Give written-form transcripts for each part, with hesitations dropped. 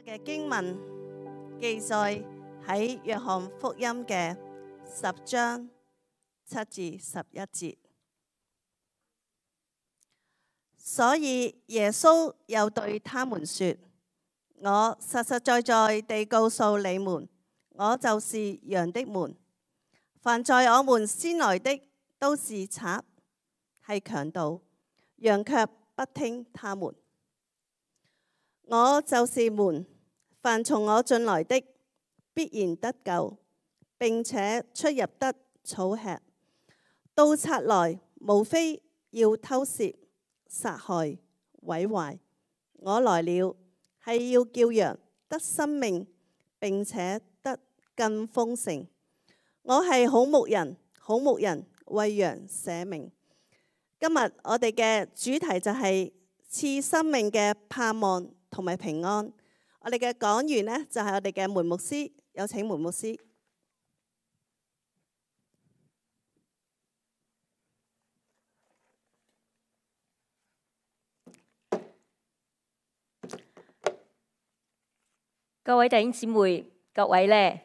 嘅經文記載喺約翰福音嘅10章7至11節。所以耶穌又對他們說：我實實在在地告訴你們，我就是羊的門。凡在我們先來的都是賊，係強盜，羊卻不聽他們。我就是門，凡從我進來的必然得救，並且出入得草吃。盜賊來，無非要偷竊、殺害、毀壞。我來了，係要叫羊得生命，並且得更豐盛。我係好牧人，好牧人為羊捨命。今日我哋嘅主題就係賜生命嘅盼望同埋平安。我哋嘅講員呢，就係我哋嘅梅牧師，有請梅牧師。各位弟兄姊妹，各位呢，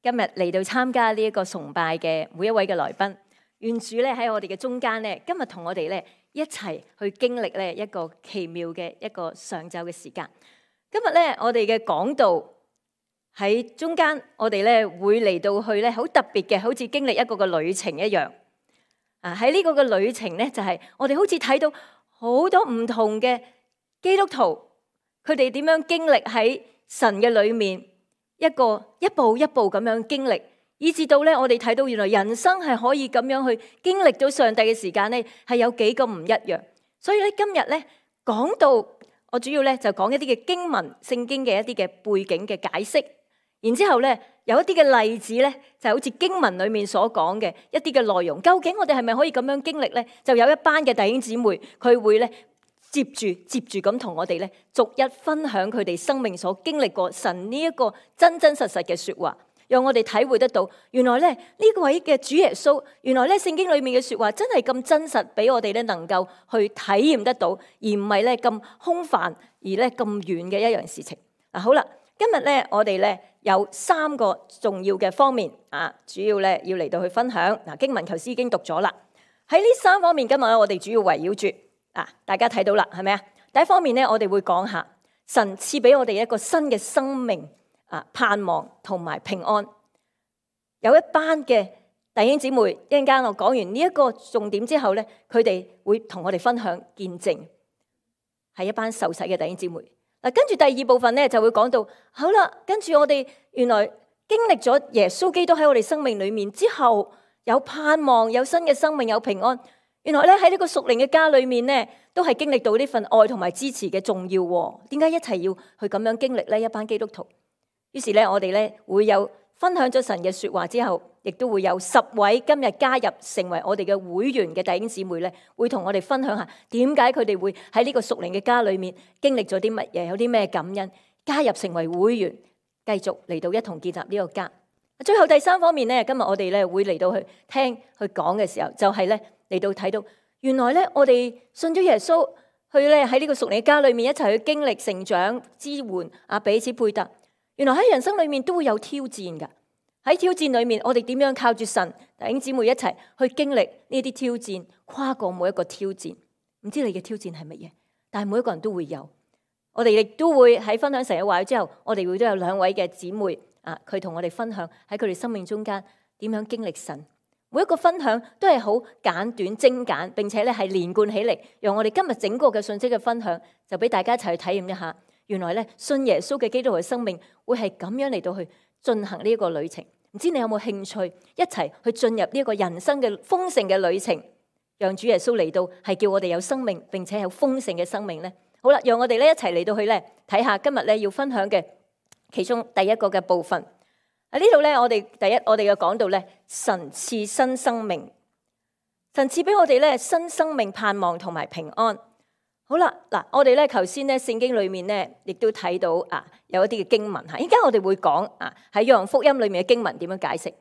今日嚟到參加呢一個崇拜嘅每一位嘅來賓，願主呢喺我哋嘅中間呢，今日同我哋呢一齊去經歷呢一個奇妙嘅一個上晝嘅時間。今日呢，我哋嘅講道喺中間，我哋呢會嚟到去呢好特別嘅，好似經歷一個嘅旅程一樣。喺呢個嘅旅程呢，就係我哋好似睇到好多唔同嘅基督徒，佢哋點樣經歷喺神嘅裏面，一步一步咁樣經歷，以至到咧我哋睇到原來人生係可以咁樣去經歷到上帝嘅時間咧，係有幾咁唔一樣。所以咧今日咧講到我主要咧就講一啲嘅經文、聖經嘅一啲嘅背景嘅解釋，然之後咧有一啲嘅例子咧就好似經文裏面所講嘅一啲嘅內容，究竟我哋係咪可以咁樣經歷咧？就有一班嘅弟兄姊妹，佢會咧接住咁同我哋咧，逐一分享佢哋生命所經歷過神呢一個真真實實嘅說話，讓我哋體會得到，原來咧呢位嘅主耶穌，原來咧聖經裏面嘅說話真係咁真實，俾我哋咧能夠去體驗得到，而唔係咧咁空泛而咧咁遠嘅一樣事情。好啦，今日咧我哋咧有3個重要嘅方面主要咧要嚟到去分享。經文頭先已經讀咗啦，喺呢3方面今日咧我哋主要圍繞住。大家睇到啦，係咪啊？第一方面咧，我哋會講下神賜俾我哋一個新嘅生命盼望同埋平安。有一班嘅弟兄姊妹，一陣間我講完呢一個重點之後咧，佢哋會同我哋分享見證，係一班受洗嘅弟兄姊妹。跟住第2部分咧就會講到，好啦，跟住我哋原來經歷咗耶穌基督喺我哋生命裏面之後，有盼望，有新嘅生命，有平安。原來咧喺呢個屬靈嘅家裏面咧，都係經歷到呢份愛同埋支持嘅重要。點解一齊要去咁樣經歷呢？一班基督徒。於是咧，我哋咧會有分享咗神嘅說話之後，亦都會有10位今日加入成為我哋嘅會員嘅弟兄姊妹咧，會同我哋分享下點解佢哋會喺呢個屬靈嘅家裏面經歷咗啲乜嘢，有啲咩感恩，加入成為會員，繼續嚟到一同建立呢個家。最後第3方面咧，今日我哋咧會嚟到去聽去講嘅時候，就係咧。嚟到睇到，原來咧我哋信咗耶穌，去咧喺呢個屬靈家裏面一齊去經歷成長、支援彼此配搭。原來喺人生裏面都會有挑戰噶。喺挑戰裏面，我哋點樣靠住神弟兄姊妹一齊去經歷呢啲挑戰，跨過每一個挑戰。唔知你嘅挑戰係乜嘢？但係每一個人都會有。我哋亦都會喺分享神嘅話語之後，我哋會都有2位嘅姊妹佢同我哋分享喺佢哋生命中間點樣經歷神。每一個分享都係好簡短精簡，並且咧係連貫起嚟，讓我哋今日整個嘅信息嘅分享，就俾大家一齊去體驗一下。原來咧信耶穌嘅基督徒嘅生命會係咁樣嚟到去進行呢一個旅程。唔知你有冇興趣一齊去進入呢一個人生嘅豐盛嘅旅程，讓主耶穌嚟到係叫我哋有生命，並且有豐盛嘅生命咧。好啦，讓我哋咧一齊嚟到去咧睇下今日咧要分享嘅其中第一個嘅部分。喺呢度咧，我哋嘅講到咧，神賜新生命，神賜俾我哋咧新生命盼望同埋平安。好啦，嗱，我哋咧頭先咧聖經裏面咧，亦都睇到有一啲嘅經文吓。依家我哋會講喺約翰福音裏面嘅經文點樣解釋。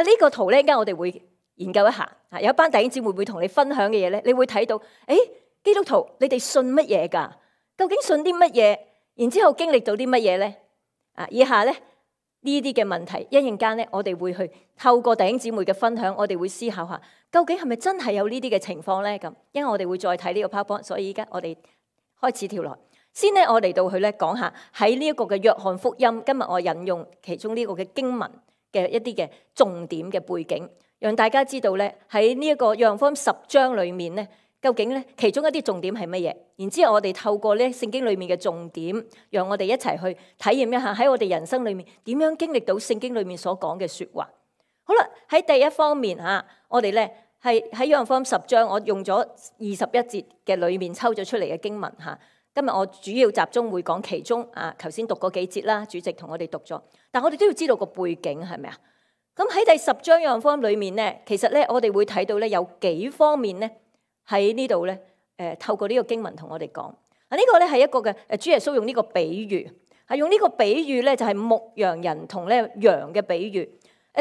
呢個圖咧，依家我哋會研究一下。有一班弟兄姊妹會同你分享嘅嘢咧，你會睇到，基督徒你哋信乜嘢噶？究竟信啲乜嘢？然之後經歷到啲乜嘢咧？以下咧呢啲嘅問題，一陣間咧我哋會去透過弟兄姊妹嘅分享，我哋會思考下，究竟係咪真係有呢啲嘅情況咧？咁，因為我哋會再睇呢個 PowerPoint，所以依家我哋開始跳落。先咧，我嚟到去咧講下喺呢一個嘅約翰福音，今日我引用其中呢個嘅經文嘅一啲嘅重點嘅背景，讓大家知道咧喺呢一個約翰福音10章裏面咧，究竟咧其中一啲重點係乜嘢？然之後我哋透過咧聖經裏面嘅重點，讓我哋一齊去體驗一下喺我哋人生裏面點樣經歷到聖經裏面所講嘅說話。好啦，喺第一方面嚇，我哋咧係喺約翰福音10章，我用咗21節嘅裏面抽咗出嚟嘅經文嚇。今日我主要集中會講其中頭先讀嗰幾節啦，主席同我哋讀咗，但我哋都要知道個背景係咪啊？咁喺第10章約翰福音裏面咧，其實咧我哋會睇到咧有幾方面咧喺呢度咧，透過呢個經文同我哋講。呢個咧係一個嘅主耶穌用呢個比喻，係用呢個比喻咧就係牧羊人同咧羊嘅比喻，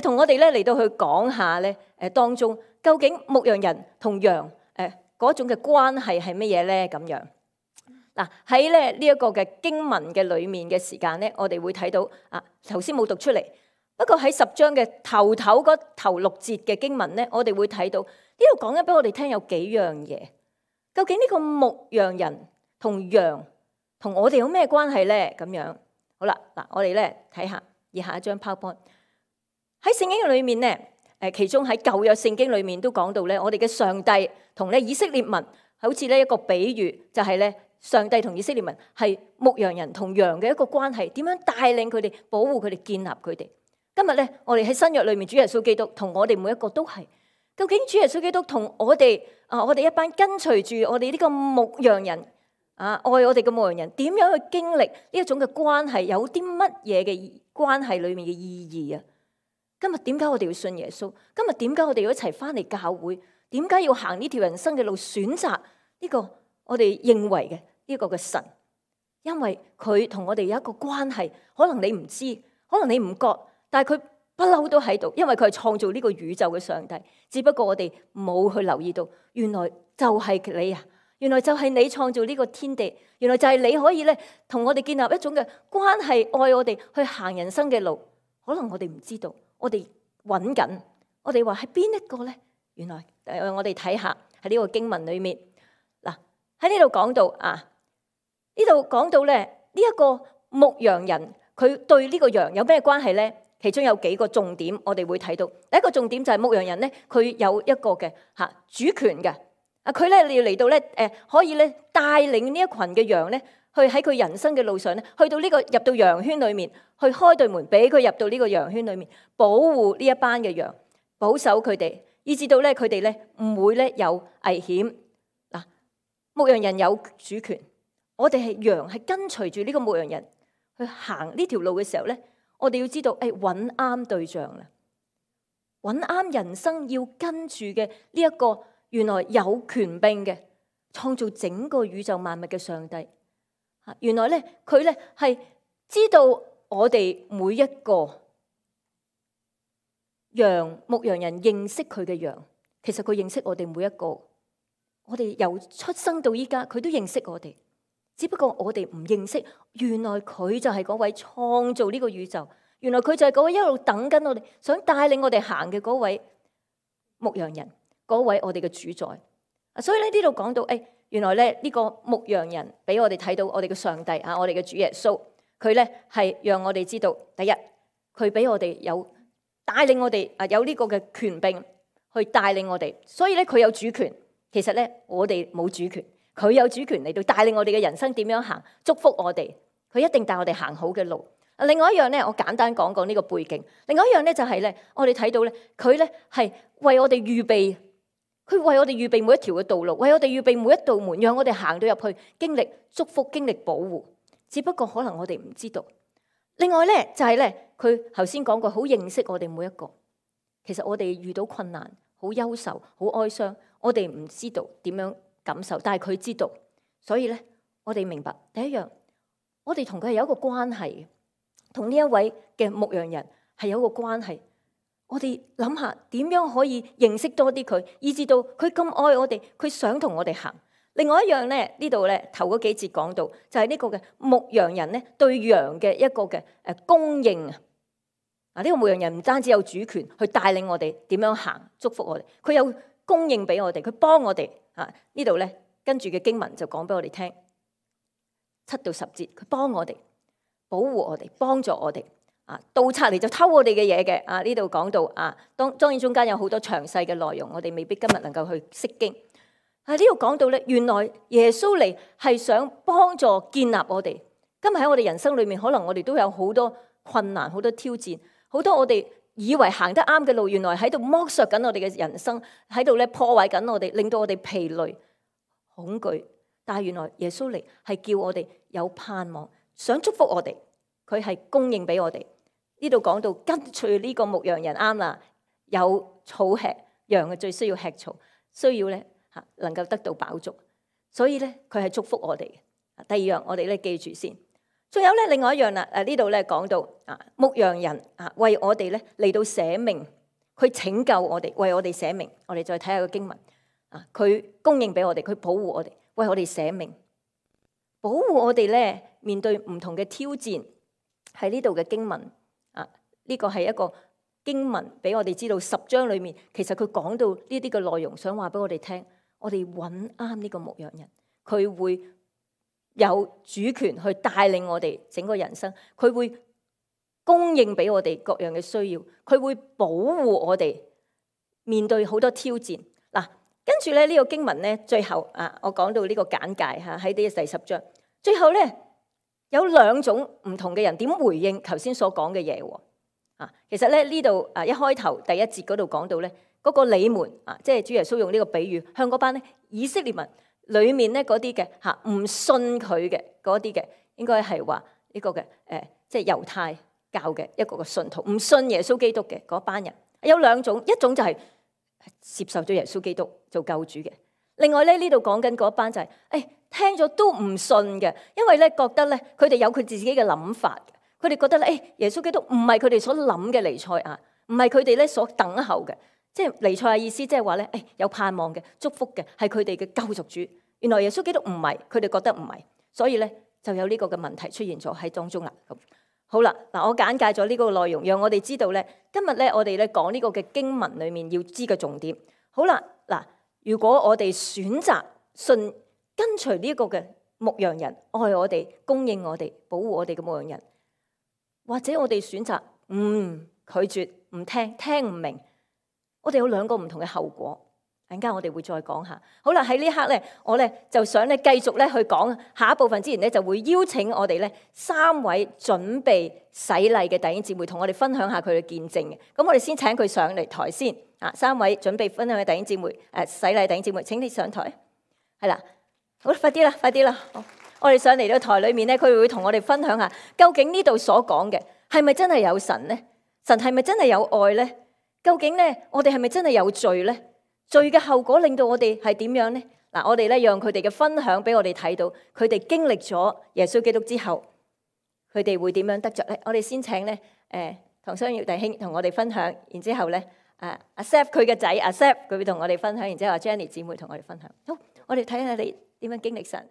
同我哋咧嚟到去講下咧當中究竟牧羊人同羊嗰種嘅關係係乜嘢咧咁樣。嗱，喺咧呢一個嘅經文嘅裏面嘅時間咧，我哋會睇到頭先冇讀出嚟，不過喺10章嘅頭6節嘅經文咧，我哋會睇到呢度講緊俾我哋聽有幾樣嘢。究竟呢個牧羊人同羊同我哋有咩關係咧？咁樣好啦，嗱，我哋咧睇下以下一張 PowerPoint。喺聖經裏面咧，其中喺舊約聖經裏面都講到咧，我哋嘅上帝同咧以色列民好似呢一個比喻，就係咧。上帝同以色列民係牧羊人同羊嘅一個關係，點樣帶領佢哋、保護佢哋、建立佢哋？今日咧，我哋喺新約裏面，主耶穌基督同我哋每一個都係。究竟主耶穌基督同我哋我哋一班跟隨住我哋呢個牧羊人愛我哋嘅牧羊人，點樣去經歷呢一種嘅關係？有啲乜嘢嘅關係裏面嘅意義啊？今日點解我哋要信耶穌？今日點解我哋要一齊翻嚟教會？點解要行呢條人生嘅路？選擇呢個我哋認為嘅呢個嘅神，因為佢同我哋有一個關係，可能你唔知，可能你唔覺，但係佢不嬲都喺度，因為佢係創造呢個宇宙嘅上帝。只不過我哋冇去留意到，原來就係你啊！原來就係你創造呢個天地，原來就係你可以咧同我哋建立一種嘅關係，愛我哋去行人生嘅路。可能我哋唔知道，我哋揾緊，我哋話係邊一個咧？原來我哋睇下喺呢個經文裏面，嗱，喺呢度講到呢度講到咧，呢一個牧羊人佢對呢個羊有咩關係咧？其中有幾個重點，我哋會睇到。第一個重點就係牧羊人咧，佢有一個嘅主權嘅。佢咧要嚟到咧可以咧帶領呢一群嘅羊咧，去喺佢人生嘅路上咧，去到呢個入到羊圈裏面，去開對門俾佢入到呢個羊圈裏面，保護呢一班嘅羊，保守佢哋，以至到咧佢哋咧唔會咧有危險。嗱，牧羊人有主權。我哋係羊，係跟隨住呢個牧羊人去行呢條路嘅時候咧，我哋要知道，揾啱對象啦，揾啱人生要跟住嘅呢一個原來有權柄嘅創造整個宇宙萬物嘅上帝。原來咧佢咧係知道我哋每一個羊，牧羊人認識佢嘅羊，其實佢認識我哋每一個。我哋由出生到依家，佢都認識我哋。只不過我哋唔認識，原來佢就係嗰位創造呢個宇宙，原來佢就係嗰位一路等緊我哋，想帶領我哋行嘅嗰位牧羊人，嗰位我哋嘅主宰。所以呢度講到，原來咧呢個牧羊人俾我哋睇到我哋嘅上帝我哋嘅主耶穌，佢咧係讓我哋知道，第一，佢俾我哋有帶領我哋有呢個嘅權柄去帶領我哋，所以咧佢有主權。其實咧我哋冇主權。佢有主權嚟到帶領我哋嘅人生點樣行，祝福我哋。佢一定帶我哋行好嘅路。另外一樣咧，我簡單講講呢個背景。另外一樣咧就係咧，我哋睇到咧，佢咧係為我哋預備，佢為我哋預備每一條嘅道路，為我哋預備每一道門，讓我哋行到入去，經歷祝福，經歷保護。只不過可能我哋唔知道。另外咧就係咧，佢頭先講過，好認識我哋每一個。其實我哋遇到困難，好憂愁，好哀傷，我哋唔知道點樣感受，但係佢知道，所以咧，我哋明白第一樣，我哋同佢係有一個關係，同呢一位嘅牧羊人係有一個關係。我哋諗下點樣可以認識多啲佢，以至到佢咁愛我哋，佢想同我哋行。另外一樣咧，呢度咧頭嗰幾節講到，就係呢個嘅牧羊人咧對羊嘅一個嘅供應啊！呢個牧羊人唔單止有主權去帶領我哋點樣行，祝福我哋，佢有供應俾我哋，佢幫我哋啊！呢度咧跟住嘅經文就講俾我哋聽，7到10節，佢幫我哋，保護我哋，幫助我哋啊！盜賊嚟就偷我哋嘅嘢嘅啊！呢度講到啊，當然中間有好多詳細嘅內容，我哋未必今日能夠去釋經。喺呢度講到咧，原來耶穌嚟係想幫助建立我哋。今日喺我哋人生裏面，可能我哋都有好多困難、好多挑戰，好多我哋以為行得啱嘅路，原來喺度剝削緊我哋嘅人生，喺度咧破壞緊我哋，令到我哋疲累、恐懼。但係原來耶穌嚟係叫我哋有盼望，想祝福我哋，佢係供應俾我哋。呢度講到跟隨呢個牧羊人啱啦，有草吃，羊嘅最需要吃草，需要咧能夠得到飽足，所以咧佢係祝福我哋嘅。第二樣我哋咧記住先，仲有咧另外一樣啦。呢度咧講到牧羊人為我哋咧嚟到捨命，佢拯救我哋，為我哋捨命。我哋再睇下個經文佢供應俾我哋，佢保護我哋，為我哋捨命，保護我哋咧面對唔同嘅挑戰。喺呢度嘅經文呢個係一個經文俾我哋知道10章裏面，其實佢講到呢啲嘅內容，想話俾我哋聽。我哋揾啱呢個牧羊人，佢會有主權去帶領我哋整個人生，佢會供應俾我哋各樣嘅需要，佢會保護我哋面對好多挑戰。嗱，跟住咧呢個經文咧，最後我講到呢個簡介喺呢第10章，最後咧有2種唔同嘅人點回應頭先所講嘅嘢喎。其實咧呢度一開頭第1節嗰度講到咧。嗰個你們即係主耶穌用呢個比喻，向嗰班咧以色列民裏面咧嗰啲嘅唔信佢嘅嗰啲嘅，應該係話呢個嘅即係猶太教嘅一個嘅信徒，唔信耶穌基督嘅嗰班人。有2種，一種就係接受咗耶穌基督做救主嘅，另外咧呢度講緊嗰班就係聽咗都唔信嘅，因為咧覺得咧佢哋有佢自己嘅諗法，佢哋覺得咧耶穌基督唔係佢哋所諗嘅彌賽亞，唔係佢哋咧所等候嘅。即係彌賽亞意思，即係話咧，有盼望嘅、祝福嘅，係佢哋嘅救贖主。原來耶穌基督唔係，佢哋覺得唔係，所以咧就有呢個嘅問題出現咗喺當中啦。咁好啦，嗱，我簡介咗呢個內容，讓我哋知道咧，今日咧我哋咧講呢個嘅經文裡面要知嘅重點。好啦，嗱，如果我哋選擇信跟隨呢個嘅牧羊人，愛我哋、供應我哋、保護我哋嘅牧羊人，或者我哋選擇拒絕、唔聽、聽唔明。我哋有2個唔同嘅後果，陣間我哋會再講下。好啦，喺呢刻咧，我咧就想咧繼續咧去講下一部分之前咧，就會邀請我哋咧3位準備洗禮嘅弟兄姊妹同我哋分享下佢嘅見證嘅。咁我哋先請佢上嚟台先。3位準備分享嘅弟兄姊妹，洗禮弟兄姊妹，請你上台。係啦，好，快啲啦，快啲啦。好，我哋上嚟到台裏面咧，佢會同我哋分享下，究竟呢度所講嘅係咪真係有神咧？神係咪真係有愛咧？究竟咧，我哋係咪真係有罪咧？罪嘅後果令到我哋係點樣咧？嗱，我哋咧讓佢哋嘅分享俾我哋睇到，佢哋經歷咗耶穌基督之後，佢哋會點樣得着咧？我哋先請咧，唐雙耀弟兄同我哋分享，然之後咧，阿 Seth 佢嘅仔阿 Seth 佢會同我哋分享，然之後阿 Jenny 姊妹同我哋分享。好，我哋睇下你點樣經歷神。